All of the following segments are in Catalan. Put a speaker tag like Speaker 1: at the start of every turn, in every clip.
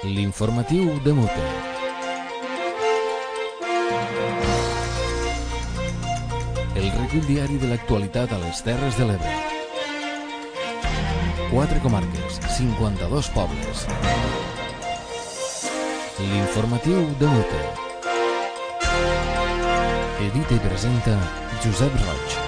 Speaker 1: L'informatiu de Mute. El recull diari de l'actualitat a les Terres de l'Ebre. 4 comarques, 52 pobles. L'informatiu de Mute. Edita i presenta Josep Roig.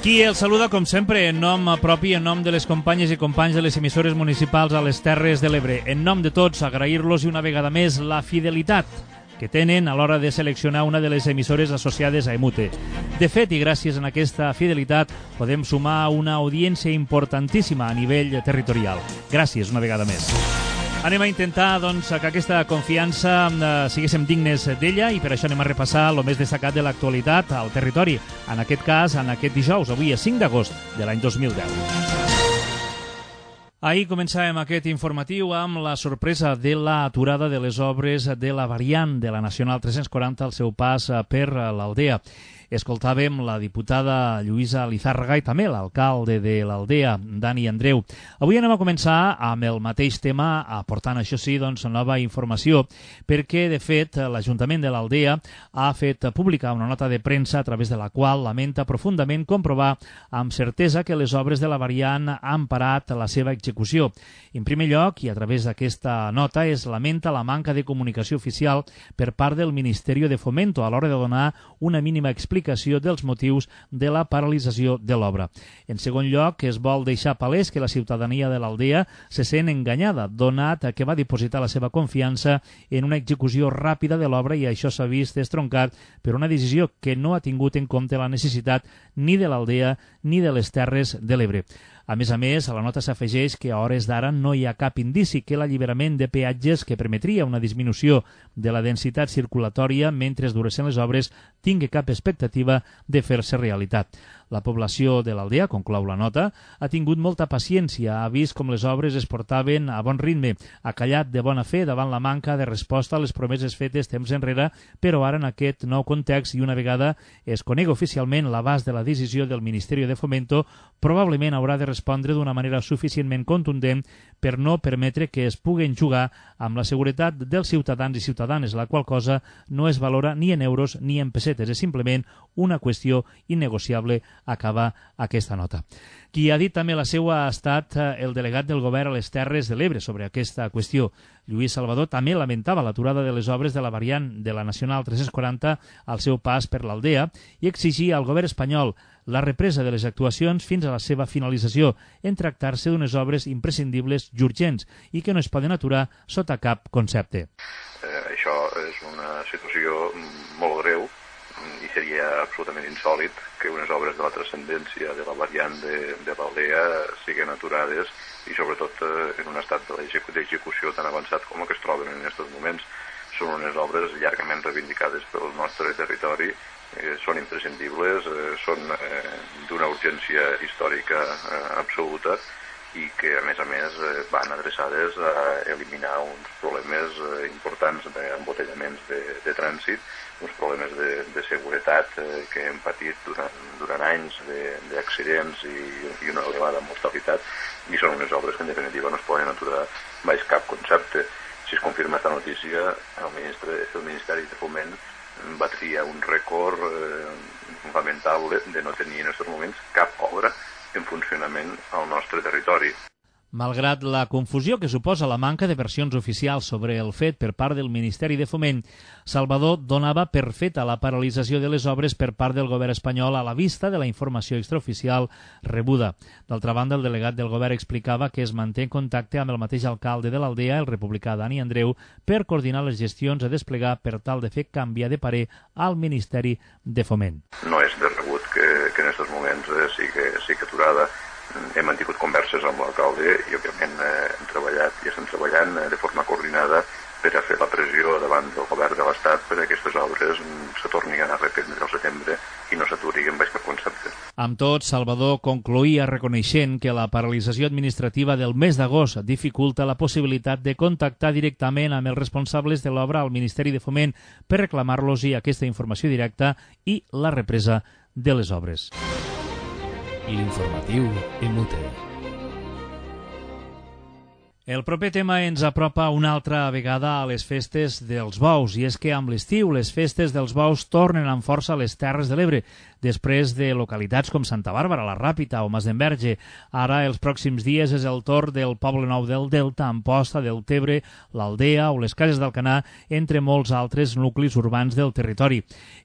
Speaker 2: Qui el saluda, com sempre, en nom propi, en nom de les companyes i companys de les emissores municipals a les Terres de l'Ebre. En nom de tots, agrair-los una vegada més la fidelitat que tenen a l'hora de seleccionar una de les emissores associades a Emute. De fet, i gràcies a aquesta fidelitat, podem sumar una audiència importantíssima a nivell territorial. Gràcies una vegada més. Anem a intentar doncs, que aquesta confiança siguéssim dignes d'ella i per això anem a repassar el més destacat de l'actualitat al territori. En aquest cas, en aquest dijous, avui és 5 d'agost de l'any 2010. Ahir començàvem aquest informatiu amb la sorpresa de l'aturada de les obres de la variant de la Nacional 340 al seu pas per l'Aldea. Escoltàvem la diputada Lluïsa Lizárraga i també l'alcalde de l'Aldea, Dani Andreu. Avui anem a començar amb el mateix tema, aportant, això sí, doncs, nova informació, perquè, de fet, l'Ajuntament de l'Aldea ha fet publicar una nota de premsa a través de la qual lamenta profundament comprovar amb certesa que les obres de la variant han parat la seva execució. En primer lloc, i a través d'aquesta nota, es lamenta la manca de comunicació oficial per part del Ministeri de Fomento a l'hora de donar una mínima explicació dels motius de la paralització de l'obra. En segon lloc, es vol deixar palès que la ciutadania de l'Aldea se sent enganyada, donat que va dipositar la seva confiança en una execució ràpida de l'obra i això s'ha vist estroncat per una decisió que no ha tingut en compte la necessitat ni de l'Aldea ni de les Terres de l'Ebre. A més, a la nota s'afegeix que a hores d'ara no hi ha cap indici que l'alliberament de peatges que permetria una disminució de la densitat circulatòria mentre duressin les obres tingui cap expectativa de fer-se realitat. La població de l'Aldea, conclou la nota, ha tingut molta paciència, ha vist com les obres es portaven a bon ritme, ha callat de bona fe davant la manca de resposta a les promeses fetes temps enrere, però ara en aquest nou context i una vegada es conegui oficialment l'abast de la decisió del Ministeri de Fomento, probablement haurà de respondre d'una manera suficientment contundent per no permetre que es puguen jugar amb la seguretat dels ciutadans i ciutadanes, la qual cosa no es valora ni en euros ni en pessetes, és simplement una qüestió innegociable, acaba aquesta nota. Qui ha dit també la seva ha estat el delegat del govern a les Terres de l'Ebre sobre aquesta qüestió. Lluís Salvador també lamentava l'aturada de les obres de la variant de la Nacional 340 al seu pas per l'Aldea i exigia al govern espanyol la represa de les actuacions fins a la seva finalització en tractar-se d'unes obres imprescindibles i urgents i que no es poden aturar sota cap concepte.
Speaker 3: Això és una situació molt greu i seria absolutament insòlit que unes obres de la transcendència de la variant de l'Aldea siguin aturades i sobretot en un estat d'execució tan avançat com el que es troben en aquests moments. Són unes obres llargament reivindicades pel nostre territori, són imprescindibles, són d'una urgència històrica absoluta i que, a més, van adreçades a eliminar uns problemes importants d'embotellaments de trànsit, uns problemes de seguretat que hem patit durant anys d'accidents i una elevada mortalitat, i són unes obres que, en definitiva, no es poden aturar baix cap concepte. Si es confirma aquesta notícia, el Ministeri de Foment batria un rècord lamentable de no tenir en aquests moments cap obra en funcionament al nostre territori.
Speaker 2: Malgrat la confusió que suposa la manca de versions oficials sobre el fet per part del Ministeri de Foment, Salvador donava per feta la paralització de les obres per part del govern espanyol a la vista de la informació extraoficial rebuda. D'altra banda, el delegat del govern explicava que es manté en contacte amb el mateix alcalde de l'Aldea, el republicà Dani Andreu, per coordinar les gestions a desplegar per tal de fer canviar de parer al Ministeri de Foment.
Speaker 3: No és de rebut que en aquests moments sigui aturada. Hem mantingut converses amb l'alcalde i, òbviament, hem treballat i estem treballant de forma coordinada per a fer la pressió davant del govern de l'Estat per a aquestes obres se tornin a reprendre al setembre i no s'aturin baix cap concepte.
Speaker 2: Amb tot, Salvador concloïa reconeixent que la paralització administrativa del mes d'agost dificulta la possibilitat de contactar directament amb els responsables de l'obra al Ministeri de Foment per reclamar-los-hi aquesta informació directa i la represa de les obres.
Speaker 1: L'informatiu en Mute.
Speaker 2: El proper tema ens apropa una altra vegada a les festes dels bous, i és que amb l'estiu les festes dels bous tornen amb força a les Terres de l'Ebre, després de localitats com Santa Bàrbara, la Ràpita o Masdenverge. Ara, els pròxims dies, és el torn del Poble Nou del Delta, Amposta, Deltebre, l'Aldea o les Cases d'Alcanar, entre molts altres nuclis urbans del territori.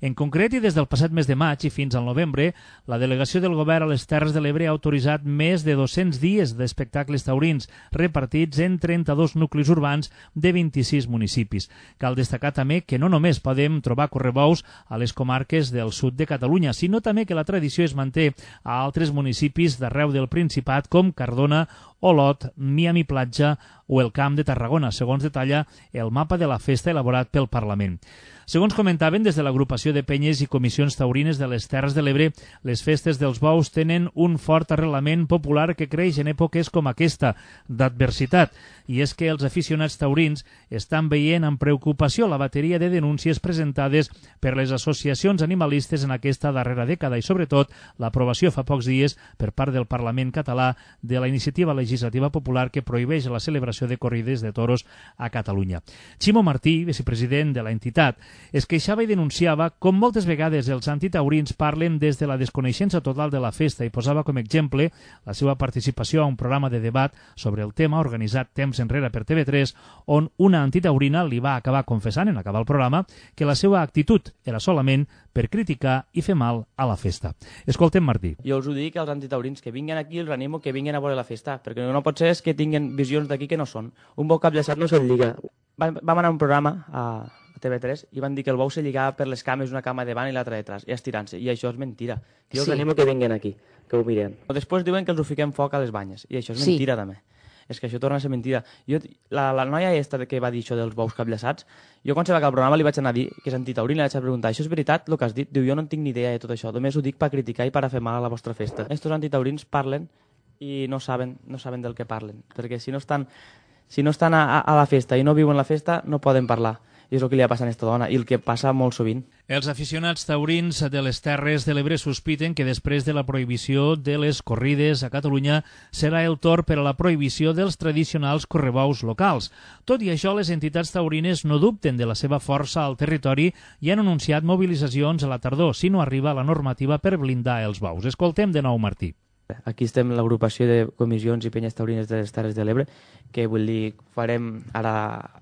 Speaker 2: En concret, i des del passat mes de maig i fins al novembre, la delegació del govern a les Terres de l'Ebre ha autoritzat més de 200 dies d'espectacles taurins, repartits en 32 nuclis urbans de 26 municipis. Cal destacar també que no només podem trobar correbous a les comarques del sud de Catalunya, sinó també que la tradició es manté a altres municipis d'arreu del Principat com Cardona, Olot, Miami Platja o el Camp de Tarragona, segons detalla el mapa de la festa elaborat pel Parlament. Segons comentaven des de l'agrupació de penyes i comissions taurines de les Terres de l'Ebre, les festes dels bous tenen un fort arrelament popular que creix en èpoques com aquesta, d'adversitat, i és que els aficionats taurins estan veient amb preocupació la bateria de denúncies presentades per les associacions animalistes en aquesta darrera dècada i, sobretot, l'aprovació fa pocs dies per part del Parlament català de la iniciativa legislativa popular que prohibeix la celebració de corrides de toros a Catalunya. Ximo Martí, vicepresident de l'entitat, es queixava i denunciava com moltes vegades els antitaurins parlen des de la desconeixença total de la festa i posava com exemple la seva participació a un programa de debat sobre el tema organitzat temps enrere per TV3, on una antitaurina li va acabar confessant en acabar el programa que la seva actitud era solament per criticar i fer mal a la festa. Escoltem Martí.
Speaker 4: Jo us ho dic als antitaurins, que vinguin aquí, els animo que vinguin a veure la festa, perquè no pot ser que tinguin visions d'aquí que no són. Un bou capllaçat no se'l lliga. Vam anar a un programa a TV3 i van dir que el bou se lligava per les cames, una cama davant i l'altra detrás, i estirant-se, i això és mentira. Jo els animo que vinguin aquí, que ho miren. Després diuen que els ho fiquem foc a les banyes, i això és mentira també. És que això torna a ser mentida. La noia que va dir això dels bous capllaçats, jo quan se va acabar el programa li vaig anar a dir que és antitaurina, li vaig preguntar, això és veritat el que has dit? Diu, jo no en tinc ni idea de tot això, només ho dic per criticar i per fer mal a la vostra festa. Estos antitaurins parlen i no saben del que parlen, perquè si no estan a la festa i no viuen la festa, no poden parlar. I és el que li ha passat a aquesta dona, i el que passa molt sovint.
Speaker 2: Els aficionats taurins de les Terres de l'Ebre sospiten que després de la prohibició de les corrides a Catalunya serà el torn per a la prohibició dels tradicionals correbous locals. Tot i això, les entitats taurines no dubten de la seva força al territori i han anunciat mobilitzacions a la tardor si no arriba la normativa per blindar els bous. Escoltem de nou Martí.
Speaker 4: Aquí estem l'agrupació de comissions i penyes taurines de les Terres de l'Ebre, que vull dir, farem ara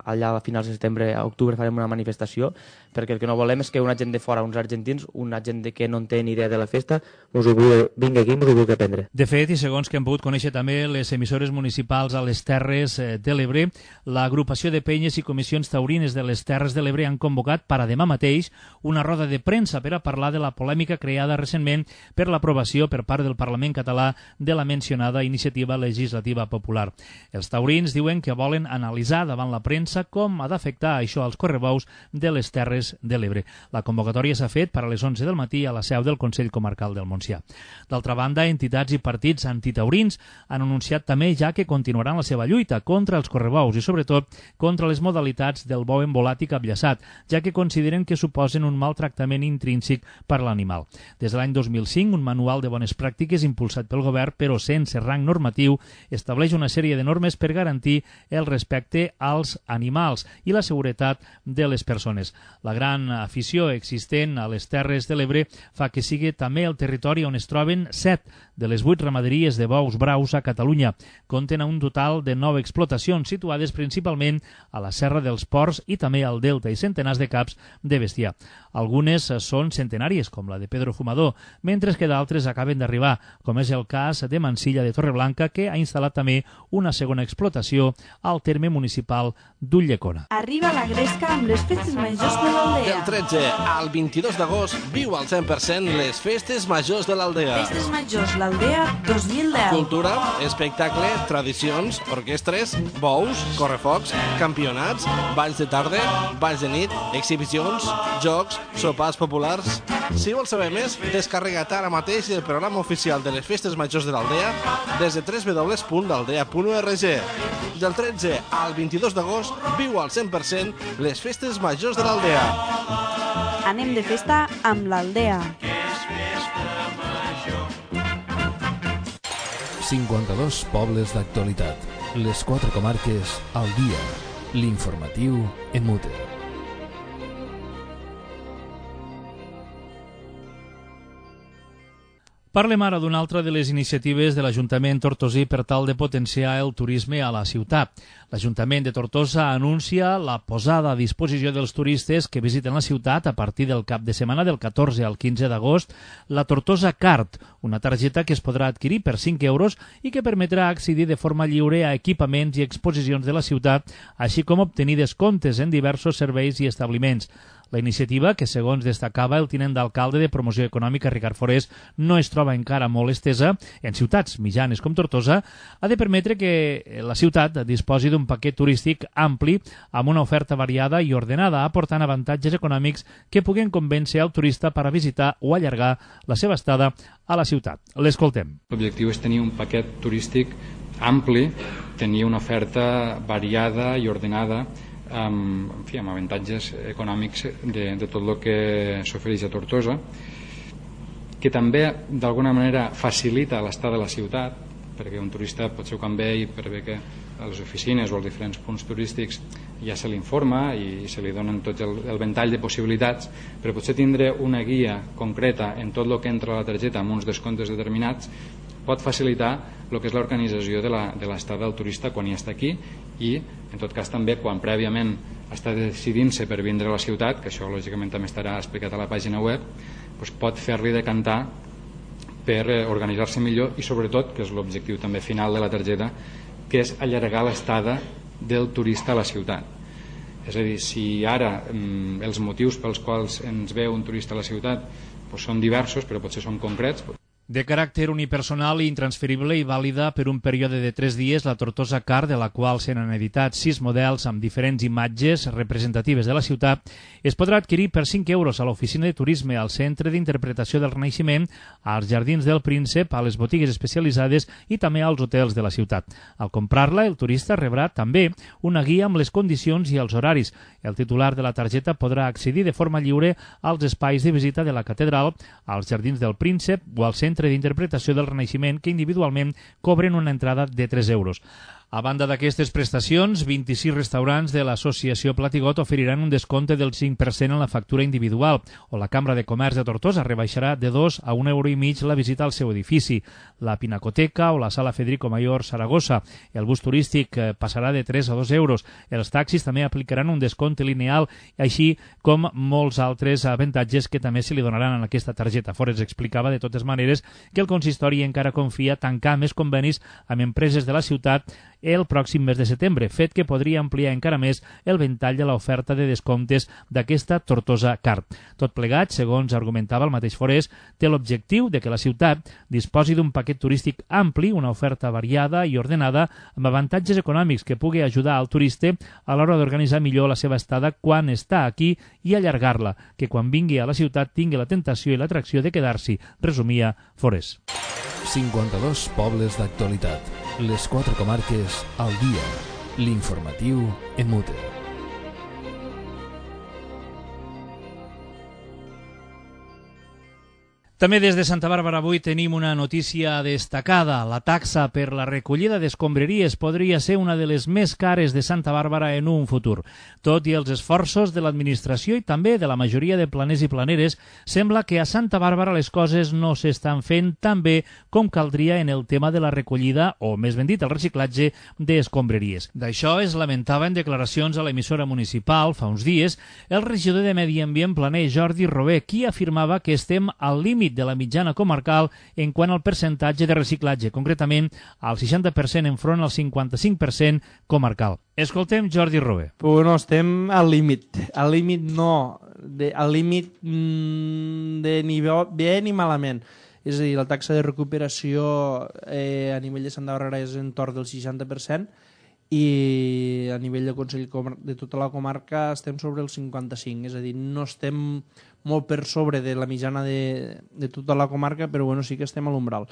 Speaker 4: allà a finals de setembre, a octubre farem una manifestació, perquè el que no volem és que una gent de fora, uns argentins, una gent que no en té ni idea de la festa, vingui aquí i ens ho vulgui aprendre.
Speaker 2: De fet, i segons que hem pogut conèixer també les emissores municipals a les Terres de l'Ebre, l'agrupació de penyes i comissions taurines de les Terres de l'Ebre han convocat per a demà mateix una roda de premsa per a parlar de la polèmica creada recentment per l'aprovació per part del Parlament català de la mencionada iniciativa legislativa popular. Els taurins diuen que volen analitzar davant la premsa com ha d'afectar això als correbous de les Terres de l'Ebre. La convocatòria s'ha fet per a les 11 del matí a la seu del Consell Comarcal del Montsià. D'altra banda, entitats i partits antitaurins han anunciat també ja que continuaran la seva lluita contra els correbous i sobretot contra les modalitats del bou embolat i capllaçat, ja que consideren que suposen un maltractament intrínsec per l'animal. Des de l'any 2005, un manual de bones pràctiques impulsat pel govern, però sense rang normatiu, estableix una sèrie de normes per garantir el respecte als animals i la seguretat de les persones. La gran afició existent a les Terres de l'Ebre fa que sigui també el territori on es troben 7 de les 8 ramaderies de bous braus a Catalunya. Compten un total de 9 explotacions situades principalment a la Serra dels Ports i també al Delta i centenars de caps de bestiar. Algunes són centenàries, com la de Pedro Fumador, mentre que d'altres acaben d'arribar, com és el cas de Mansilla de Torreblanca, que ha instal·lat també una segona explotació al terme municipal d'Ulldecona.
Speaker 5: Arriba la gresca amb les festes majors de l'Aldea.
Speaker 6: Del 13 al 22 d'agost viu al 100% les festes majors de l'Aldea.
Speaker 5: Festes majors l'Aldea 2010.
Speaker 6: Cultura, espectacle, tradicions, orquestres, bous, correfocs, campionats, balls de tarda, balls de nit, exhibicions, jocs, sopars populars. Si vols saber més, descarrega't ara mateix el programa oficial de les festes majors de l'Aldea des de www.aldea.org. Del 13 al 22 d'agost viu al 100% les festes majors de l'Aldea.
Speaker 5: Anem de festa amb l'Aldea.
Speaker 1: 52 pobles d'actualitat. Les quatre comarques al dia. L'informatiu en mute.
Speaker 2: Parlem ara d'una altra de les iniciatives de l'Ajuntament tortosí per tal de potenciar el turisme a la ciutat. L'Ajuntament de Tortosa anuncia la posada a disposició dels turistes que visiten la ciutat a partir del cap de setmana del 14 al 15 d'agost la Tortosa Card, una targeta que es podrà adquirir per 5 euros i que permetrà accedir de forma lliure a equipaments i exposicions de la ciutat, així com obtenir descomptes en diversos serveis i establiments. La iniciativa, que segons destacava el tinent d'alcalde de Promoció Econòmica Ricard Forés, no es troba encara molt estesa en ciutats mitjanes com Tortosa, ha de permetre que la ciutat disposi d'un paquet turístic ampli amb una oferta variada i ordenada, aportant avantatges econòmics que puguen convèncer al turista per a visitar o allargar la seva estada a la ciutat. L'escoltem.
Speaker 7: L'objectiu és tenir un paquet turístic ampli, tenir una oferta variada i ordenada amb avantatges econòmics de tot el que s'ofereix a Tortosa, que també d'alguna manera facilita l'estada a la ciutat, perquè un turista potser quan ve i per bé que a les oficines o als diferents punts turístics ja se l'informa i se li donen tot el ventall de possibilitats, però potser tindre una guia concreta en tot el que entra a la targeta amb uns descomptes determinats pot facilitar el que és l'organització de l'estada del turista quan hi està aquí i, en tot cas, també quan prèviament està decidint-se per vindre a la ciutat, que això lògicament també estarà explicat a la pàgina web, doncs pot fer-li decantar per organitzar-se millor i, sobretot, que és l'objectiu també final de la targeta, que és allargar l'estada del turista a la ciutat. És a dir, si ara els motius pels quals ens ve un turista a la ciutat són diversos, però potser són concrets.
Speaker 2: De caràcter unipersonal i intransferible i vàlida per un període de 3 dies, la Tortosa Card, de la qual se n'han editat 6 models amb diferents imatges representatives de la ciutat, es podrà adquirir per 5 euros a l'oficina de turisme, al Centre d'Interpretació del Renaixement, als Jardins del Príncep, a les botigues especialitzades i també als hotels de la ciutat. Al comprar-la, el turista rebrà també una guia amb les condicions i els horaris. El titular de la targeta podrà accedir de forma lliure als espais de visita de la catedral, als Jardins del Príncep o al Centre d'Interpretació del Renaixement, que individualment cobren una entrada de 3 euros. A banda d'aquestes prestacions, 26 restaurants de l'associació Platigot oferiran un descompte del 5% en la factura individual, o la Cambra de Comerç de Tortosa rebaixarà de 2 a 1,5 € la visita al seu edifici. La Pinacoteca o la Sala Federico Mayor Saragossa. El bus turístic passarà de 3 a 2 euros. Els taxis també aplicaran un descompte lineal, així com molts altres avantatges que també se li donaran en aquesta targeta. Forés explicava de totes maneres que el consistori encara confia tancar més convenis amb empreses de la ciutat el pròxim mes de setembre, fet que podria ampliar encara més el ventall de l'oferta de descomptes d'aquesta Tortosa Card. Tot plegat, segons argumentava el mateix Forés, té l'objectiu de que la ciutat disposi d'un paquet turístic ampli, una oferta variada i ordenada, amb avantatges econòmics que pugui ajudar al turista a l'hora d'organitzar millor la seva estada quan està aquí i allargar-la, que quan vingui a la ciutat tingui la tentació i l'atracció de quedar-s'hi, resumia Forés.
Speaker 1: 52 pobles d'actualitat. Les quatre comarques al dia. L'informatiu en mute.
Speaker 2: També des de Santa Bàrbara avui tenim una notícia destacada. La taxa per la recollida d'escombraries podria ser una de les més cares de Santa Bàrbara en un futur. Tot i els esforços de l'administració i també de la majoria de planers i planeres, sembla que a Santa Bàrbara les coses no s'estan fent tan bé com caldria en el tema de la recollida, o més ben dit, el reciclatge d'escombraries. D'això es lamentava en declaracions a l'emissora municipal fa uns dies el regidor de Medi Ambient Planer, Jordi Robé, qui afirmava que estem al límit de la mitjana comarcal en quant al percentatge de reciclatge, concretament al 60% enfront al 55% comarcal. Escoltem Jordi Robé.
Speaker 8: Bueno, estem al límit. Al límit no, al límit de ni bé ni malament. És a dir, la taxa de recuperació a nivell de Santa Bàrbara és entorn del 60% i a nivell del Consell de tota la comarca estem sobre el 55%. És a dir, no estem molt per sobre de la mitjana de tota la comarca, però bueno, sí que estem a l'umbral.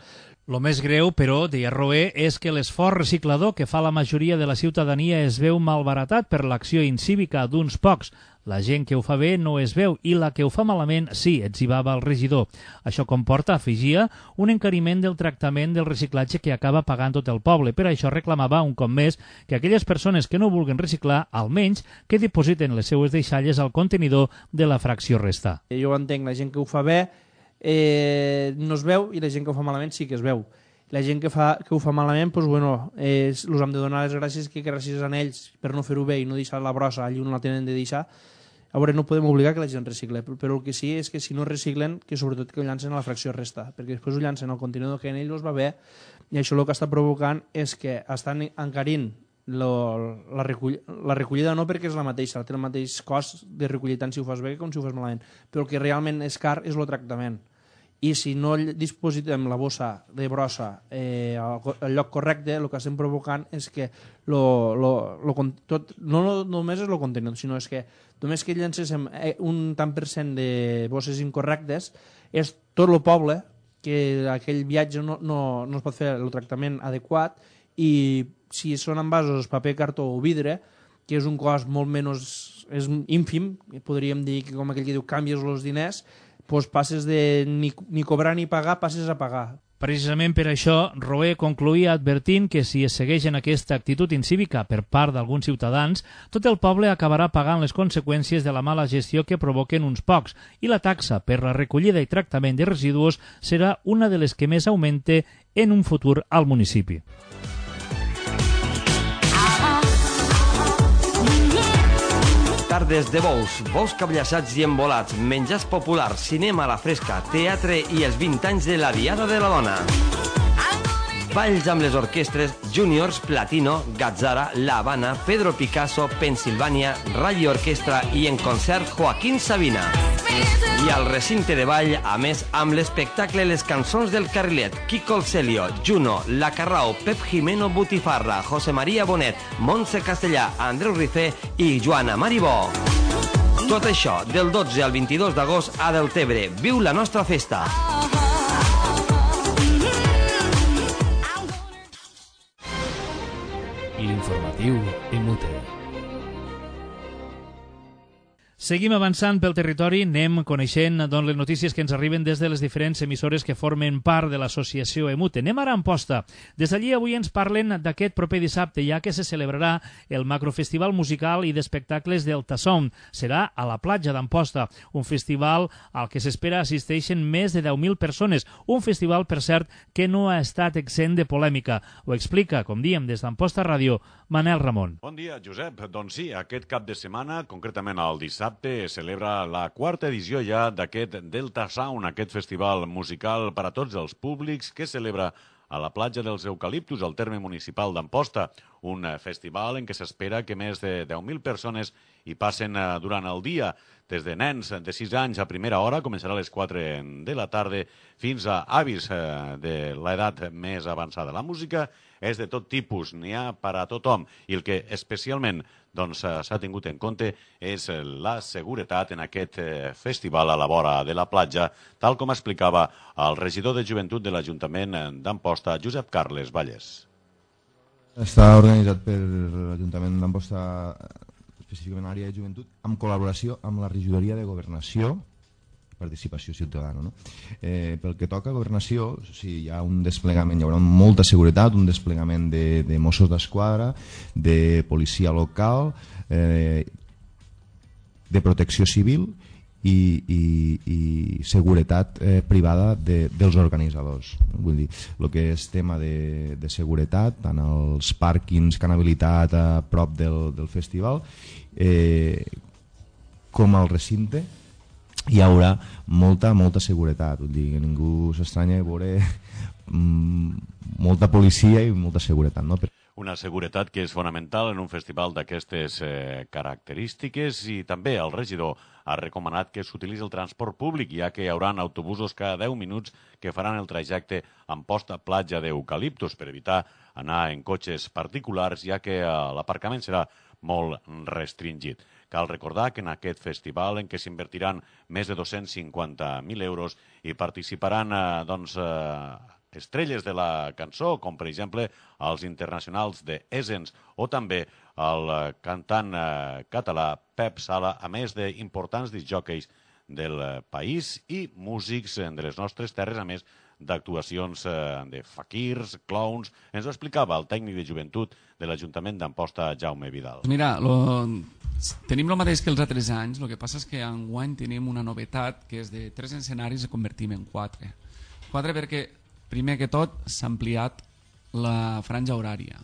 Speaker 2: Lo més greu, però, deia Roé, és que l'esforç reciclador que fa la majoria de la ciutadania es veu malbaratat per l'acció incívica d'uns pocs. La gent que ho fa bé no es veu i la que ho fa malament sí, etzibava el regidor. Això comporta, afegia, un encariment del tractament del reciclatge que acaba pagant tot el poble. Per això reclamava, un cop més, que aquelles persones que no vulguen reciclar, almenys, que dipositen les seues deixalles al contenidor de la fracció resta.
Speaker 8: Jo entenc, la gent que ho fa bé no es veu i la gent que ho fa malament sí que es veu. La gent que ho fa malament, doncs, bueno, els hem de donar les gràcies que gràcies a ells per no fer-ho bé i no deixar la brossa allà on la tenen de deixar. A veure, no podem obligar que la gent recicle, però el que sí és que si no reciclen, que sobretot que ho llancen a la fracció resta, perquè després ho llancen al contenidor que en ells va bé, i això el que està provocant és que estan encarint la recollida no perquè és la mateixa, té el mateix cost de recollir tant si ho fas bé com si ho fas malament, però el que realment és car és el tractament. I si no dispositem la bossa de brossa al lloc correcte, el que estem provocant és que no només és el contenidor, sinó és que només que llancéssim un tant per cent de bosses incorrectes, és tot el poble que aquell viatge no es pot fer el tractament adequat, i si són envasos paper, cartó o vidre, que és un cost molt menys, és ínfim, podríem dir que com aquell que diu canvies els diners, doncs passes de ni cobrar ni pagar, passes a pagar.
Speaker 2: Precisament per això, Roé concluïa advertint que si es segueix en aquesta actitud incívica per part d'alguns ciutadans, tot el poble acabarà pagant les conseqüències de la mala gestió que provoquen uns pocs, i la taxa per la recollida i tractament de residus serà una de les que més augmente en un futur al municipi.
Speaker 9: Tardes de bous cabliassats i embolats, menjars populars, cinema a la fresca, teatre i els 20 anys de la Diada de la Dona. Balls amb les orquestres Juniors, Platino, Gazzara, La Habana, Pedro Picasso, Pensilvània, Rally Orquestra i en concert Joaquín Sabina. I al recinte de ball, a més, amb l'espectacle Les cançons del Carrilet, Quico el Celio, Juno, La Carrao, Pep Jimeno Butifarra, José María Bonet, Montse Castellà, Andreu Rifé i Joana Maribó. Tot això del 12 al 22 d'agost a Deltebre. Viu la nostra festa!
Speaker 1: L'informatiu Emute.
Speaker 2: Seguim avançant pel territori, anem coneixent les notícies que ens arriben des de les diferents emissores que formen part de l'associació Emute. Anem ara a Amposta. Des d'allí avui ens parlen d'aquest proper dissabte, ja que se celebrarà el macrofestival musical i d'espectacles del Tassound. Serà a la platja d'Amposta, un festival al que s'espera assisteixen més de 10.000 persones. Un festival, per cert, que no ha estat exempt de polèmica. Ho explica, com diem, des d'Amposta Ràdio, Manel Ramon.
Speaker 10: Bon dia, Josep. Doncs sí, aquest cap de setmana, concretament el dissabte, es celebra la quarta edició ja d'aquest Delta Sound, aquest festival musical per a tots els públics que celebra a la platja dels Eucaliptus, al terme municipal d'Amposta. Un festival en què s'espera que més de 10.000 persones hi passen durant el dia. Des de nens de 6 anys a primera hora, començarà a les 4 de la tarda, fins a avis de l'edat més avançada. La música és de tot tipus, n'hi ha per a tothom, i el que especialment s'ha tingut en compte és la seguretat en aquest festival a la vora de la platja, tal com explicava el regidor de Joventut de l'Ajuntament d'Amposta, Josep Carles Vallès.
Speaker 11: Està organitzat per l'Ajuntament d'Amposta, específicament a l'àrea de joventut, en col·laboració amb la regidoria de Governació, participació ciutadana. No? Pel que toca a governació, hi ha un desplegament, hi haurà molta seguretat, un desplegament de Mossos d'Esquadra, de policia local, de protecció civil i seguretat privada dels organitzadors. Vull dir, el que és tema de seguretat, tant els pàrquings que han habilitat a prop del festival com al recinte, hi haurà molta seguretat. Vull dir, que ningú s'estranya de veure molta policia i molta seguretat, no?
Speaker 10: Una seguretat que és fonamental en un festival d'aquestes característiques, i també el regidor ha recomanat que s'utilitzi el transport públic, ja que hi haurà autobusos cada 10 minuts que faran el trajecte Amposta-Platja d'Eucaliptus per evitar anar en cotxes particulars, ja que l'aparcament serà molt restringit. Cal recordar que en aquest festival, en què s'invertiran més de 250.000 euros, hi participaran estrelles de la cançó, com per exemple els internacionals de Essence o també el cantant català Pep Sala, a més d'importants discjòqueis del país i músics de les nostres terres, a més d'actuacions de faquirs, clowns. Ens ho explicava el tècnic de joventut de l'Ajuntament d'Amposta, Jaume Vidal.
Speaker 12: Mira, tenim el mateix que els altres anys, el que passa és que enguany tenim una novetat, que és de 3 escenaris i convertim en 4. 4 perquè, primer que tot, s'ha ampliat la franja horària.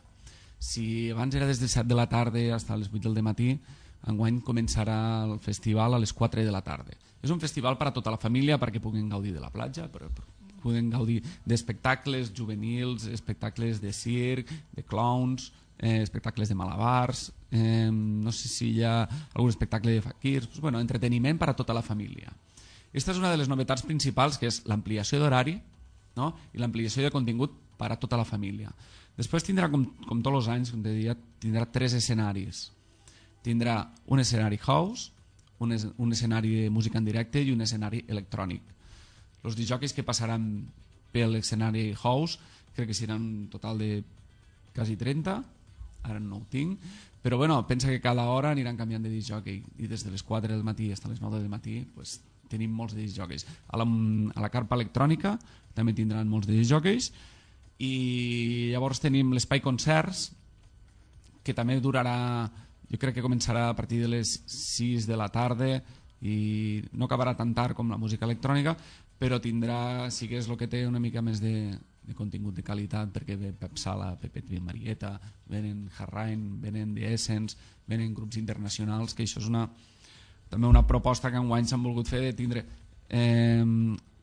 Speaker 12: Si abans era des de 7 de la tarda fins a les 8 del matí, enguany començarà el festival a les 4 de la tarda. És un festival per a tota la família perquè puguin gaudir de la platja, puguin gaudir d'espectacles juvenils, espectacles de circ, de clowns, espectacles de malabars, no sé si hi ha algun espectacle de faquirs, bueno, entreteniment per a tota la família. Aquesta és una de les novetats principals, que és l'ampliació d'horari, no? I l'ampliació de contingut per a tota la família. Després tindrà, com tots els anys, com te deia, tindrà 3 escenaris. Tindrà un escenari house, un escenari de música en directe i un escenari electrònic. Els discjòqueis que passaran per l'escenari house crec que seran un total de quasi 30, ara no ho tinc, però bueno, pensa que cada hora aniran canviant de discjòquei i des de les 4 del matí fins a les 9 del matí pues, tenim molts de discjòqueis. A la carpa electrònica també tindran molts de discjòqueis i llavors tenim l'espai concerts, que també durarà, jo crec que començarà a partir de les 6 de la tarda i no acabarà tan tard com la música electrònica, però tindrà, sí que és el que té una mica més de contingut de qualitat, perquè ve Pep Sala, Pepet Marieta, venen Harrain, venen The Essence, venen grups internacionals, que això és també una proposta que enguany s'han volgut fer de tindre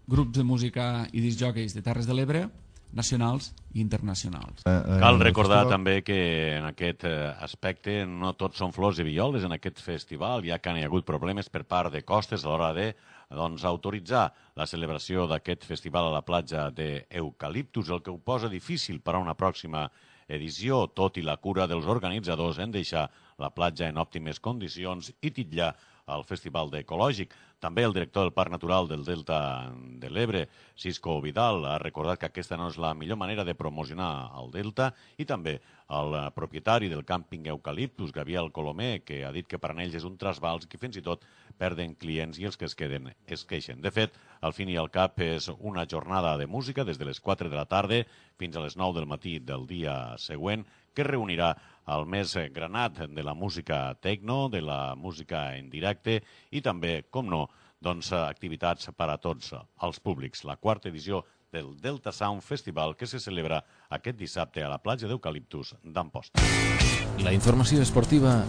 Speaker 12: grups de música i discjòqueis de Terres de l'Ebre, nacionals i internacionals.
Speaker 10: Cal recordar també que en aquest aspecte no tots són flors i violes en aquest festival, ja que hi ha hagut problemes per part de costes a l'hora de autoritzar la celebració d'aquest festival a la platja d'Eucaliptus, el que ho posa difícil per a una pròxima edició, tot i la cura dels organitzadors en deixar la platja en òptimes condicions i titllar el Festival d'Ecològic. També el director del Parc Natural del Delta de l'Ebre, Cisco Vidal, ha recordat que aquesta no és la millor manera de promocionar el Delta, i també el propietari del càmping Eucaliptus, Gabriel Colomer, que ha dit que per a ells és un trasbals que fins i tot perden clients i els que es queden es queixen. De fet, al fin i al cap és una jornada de música des de les 4 de la tarda fins a les 9 del matí del dia següent, que reunirà el més granat de la música tecno, de la música en directe i també, com no, activitats per a tots els públics. La 4ª edició del Delta Sound Festival, que se celebra aquest dissabte a la platja d'Eucaliptus d'Amposta.
Speaker 1: La informació esportiva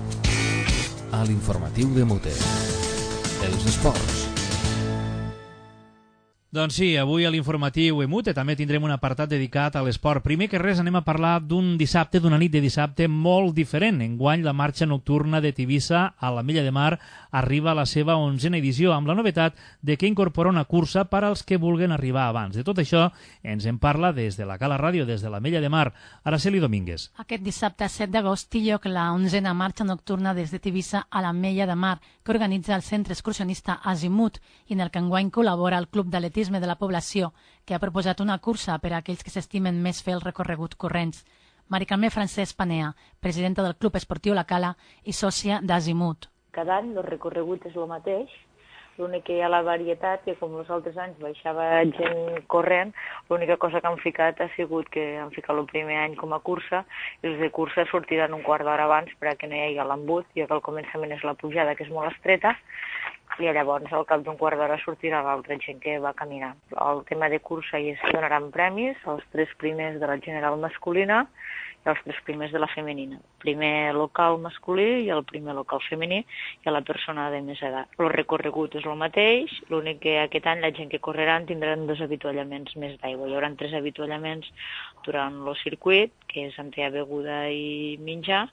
Speaker 1: a l'informatiu de Mute. Els esports.
Speaker 2: Doncs sí, avui a l'informatiu EMUTE també tindrem un apartat dedicat a l'esport. Primer que res anem a parlar d'un dissabte, d'una nit de dissabte molt diferent. Enguany la marxa nocturna de Tivissa a l'Ametlla de Mar arriba a la seva 11ª edició, amb la novetat de que incorpora una cursa per als que vulguen arribar abans. De tot això ens en parla des de la Cala Ràdio, des de l'Ametlla de Mar, Araceli Domínguez.
Speaker 13: Aquest dissabte 7 d'agost té lloc la 11ª marxa nocturna des de Tivissa a l'Ametlla de Mar, que organitza el centre excursionista Azimut i en el que enguany col·labora el Club d'Atletisme de la població, que ha proposat una cursa per a aquells que s'estimen més fer el recorregut corrents. Mari Carme Francesc Panea, presidenta del Club Esportiu La Cala i sòcia d'Azimut.
Speaker 14: Cada any el recorregut és el mateix, l'únic que hi ha la varietat, que com els altres anys baixava gent corrent, l'única cosa que han ficat ha sigut que han ficat el primer any com a cursa, i els de cursa sortiran un quart d'hora abans perquè no hi hagi l'embut, ja que al començament és la pujada, que és molt estreta, i llavors al cap d'un quart d'hora sortirà l'altra gent que va caminar. El tema de cursa hi es donaran premis, els 3 primers de la general masculina i els 3 primers de la femenina. Primer local masculí i el primer local femení i a la persona de més edat. El recorregut és el mateix, l'únic que aquest any la gent que correran tindran 2 avituallaments més d'aigua. Hi haurà 3 avituallaments durant el circuit, que és entre beguda i menjar,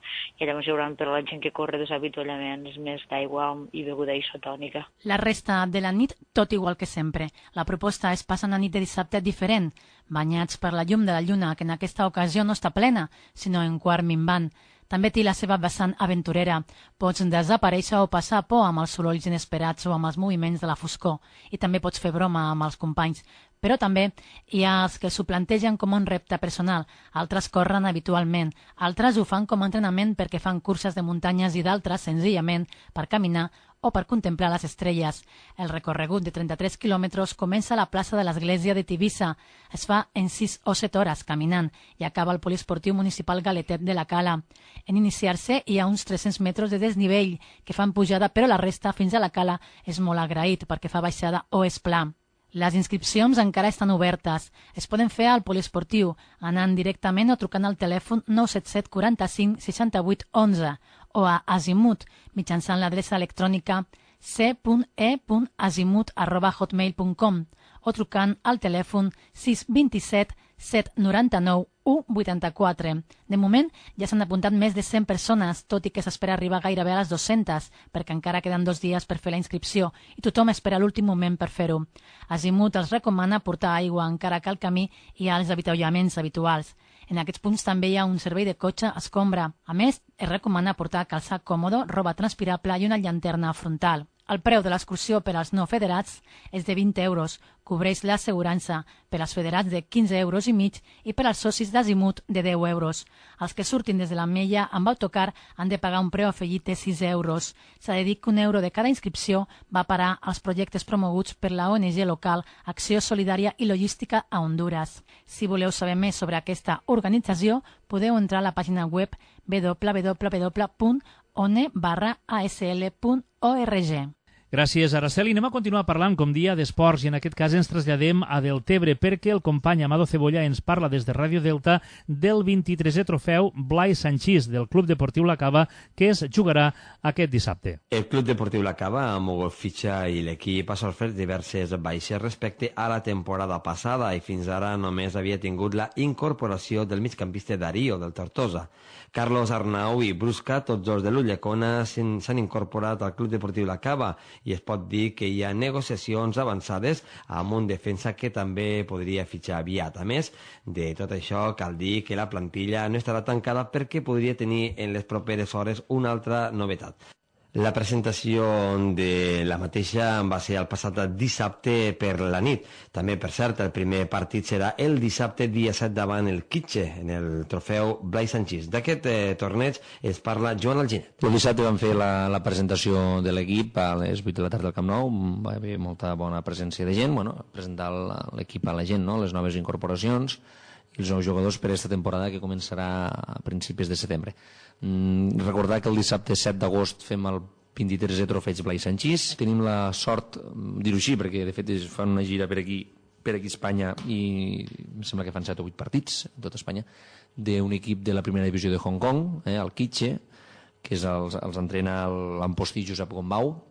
Speaker 14: i llavors hi haurà per a la gent que corre 2 avituallaments més d'aigua i beguda isotònica.
Speaker 13: La resta de la nit, tot igual que sempre. La proposta és passar una nit de dissabte diferent, banyats per la llum de la lluna, que en aquesta ocasió no està plena, sinó en quart minvant. també té la seva vessant aventurera. Pots desaparèixer o passar por amb els sorolls inesperats o amb els moviments de la foscor, i també pots fer broma amb els companys. Però també hi ha els que s'ho plantegen com un repte personal, altres corren habitualment, altres ho fan com a entrenament perquè fan curses de muntanyes i d'altres, senzillament, per caminar o per contemplar les estrelles. El recorregut de 33 quilòmetres comença a la plaça de l'església de Tivissa. Es fa en 6 o 7 hores caminant i acaba al poliesportiu municipal Galetet de la Cala. En iniciar-se hi ha uns 300 metres de desnivell que fan pujada, però la resta fins a la Cala és molt agraït perquè fa baixada o és pla. Les inscripcions encara estan obertes. Es poden fer al poliesportiu anant directament o trucant al telèfon 977 45 68 11 o a Azimut mitjançant l'adreça electrònica c.e.azimut@hotmail.com o trucant al telèfon 627 799 184. De moment ja s'han apuntat més de 100 persones, tot i que s'espera arribar gairebé a les 200, perquè encara queden 2 dies per fer la inscripció i tothom espera l'últim moment per fer-ho. Azimut els recomana portar aigua encara que al camí hi ha els avituallaments habituals. En aquests punts també hi ha un servei de cotxe escombra. A més, es recomana portar calçat còmodo, roba transpirable i una llanterna frontal. El preu de l'excursió per als no federats és de 20 euros, cobreix l'assegurança, per als federats de 15 euros i mig i per als socis d'Azimut de 10 euros. Els que surtin des de l'Ametlla amb autocar han de pagar un preu afegit de 6 euros. S'ha de dir que €1 de cada inscripció va parar als projectes promoguts per la ONG local Acció Solidària i Logística a Hondures. Si voleu saber més sobre aquesta organització, podeu entrar a la pàgina web www.one/asl.org.
Speaker 2: Gràcies, Araceli. Anem a continuar parlant, com dia, d'esports i en aquest cas ens traslladem a Deltebre perquè el company Amado Cebolla ens parla des de Ràdio Delta del 23è trofeu Blai Sanchís del Club Deportiu La Cava que es jugarà aquest dissabte.
Speaker 9: El Club Deportiu La Cava ha mogut fitxa i l'equip ha sofert diverses baixes respecte a la temporada passada i fins ara només havia tingut la incorporació del migcampista Darío del Tortosa. Carlos Arnau i Brusca, tots dos de l'Ulldecona, s'han incorporat al Club Deportiu La Cava i es pot dir que hi ha negociacions avançades amb un defensa que també podria fitxar aviat. A més de tot això, cal dir que la plantilla no estarà tancada perquè podria tenir en les properes hores una altra novetat. La presentació de la mateixa va ser el passat dissabte per la nit. També, per cert, el primer partit serà el dissabte dia 7 davant el Quitxe, en el trofeu Blai Sanchís. D'aquest torneig es parla Joan Alginet.
Speaker 15: El dissabte vam fer la presentació de l'equip a les 8 de la tarda al Camp Nou. Va haver molta bona presència de gent, presentar l'equip a la gent, les noves incorporacions i els nous jugadors per aquesta temporada que començarà a principis de setembre. Recordar que el dissabte 7 d'agost fem el 23è trofeig Blai Sanchís. Tenim la sort, dir-ho així, perquè de fet fan una gira per aquí Espanya i em sembla que fan 7 o 8 partits en tota Espanya, d'un equip de la primera divisió de Hong Kong, el Quitxe, que els entrena l'Ampostí Josep Gombau,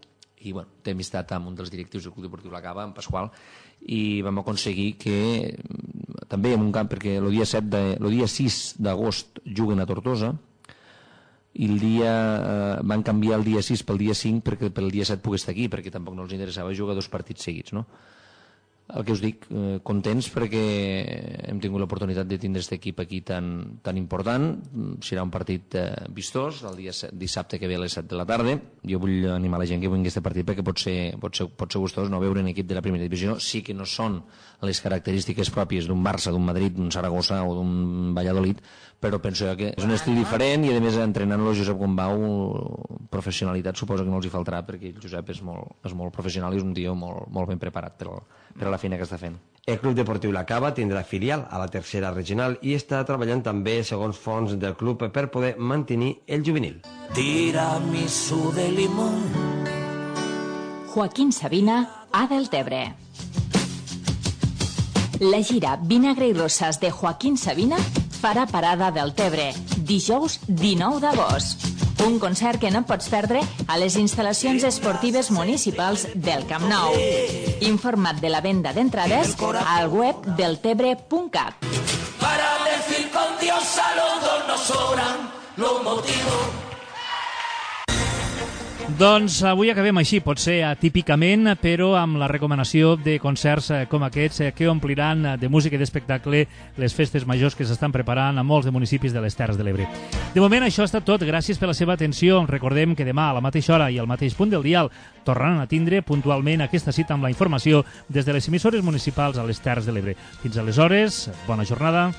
Speaker 15: i té amistat amb un dels directius del Club Deportiu La Cava, en Pasqual, i vam aconseguir que també en un camp, perquè el dia 6 d'agost juguen a Tortosa i van canviar el dia 6 pel dia 5 perquè pel dia 7 pogués estar aquí, perquè tampoc no els interessava jugar 2 partits seguits, no? El que us dic, contents perquè hem tingut l'oportunitat de tindre aquest equip aquí tan important. Serà un partit vistós el dissabte que ve a les 7 de la tarda. Jo vull animar la gent que vingui a aquest partit perquè pot ser gustós no veure un equip de la primera divisió. Sí que no són les característiques pròpies d'un Barça, d'un Madrid, d'un Saragossa o d'un Valladolid, però penso que és un estil diferent i a més entrenant-lo Josep Gombau, professionalitat suposo que no els hi faltarà perquè el Josep és molt professional i és un tio molt ben preparat per a la feina que està fent.
Speaker 9: El Club Deportiu La Cava tindrà filial a la tercera regional i està treballant també, segons fons del club, per poder mantenir el juvenil.
Speaker 16: Tiramisú de limón. Joaquín Sabina, a Deltebre. La gira Vinagre i Roses de Joaquín Sabina farà parada del Tebre, dijous 19 d'agost. Un concert que no pots perdre a les instal·lacions esportives municipals del Camp Nou. Informa't de la venda d'entrades al web deltebre.cat.
Speaker 17: Para decir con Dios saludos nos sobran los motivos.
Speaker 2: Doncs avui acabem així, potser atípicament, però amb la recomanació de concerts com aquests que ompliran de música i d'espectacle les festes majors que s'estan preparant a molts de municipis de les Terres de l'Ebre. De moment això ha estat tot, gràcies per la seva atenció. Recordem que demà a la mateixa hora i al mateix punt del dial tornaran a tindre puntualment aquesta cita amb la informació des de les emissores municipals a les Terres de l'Ebre. Fins aleshores, bona jornada.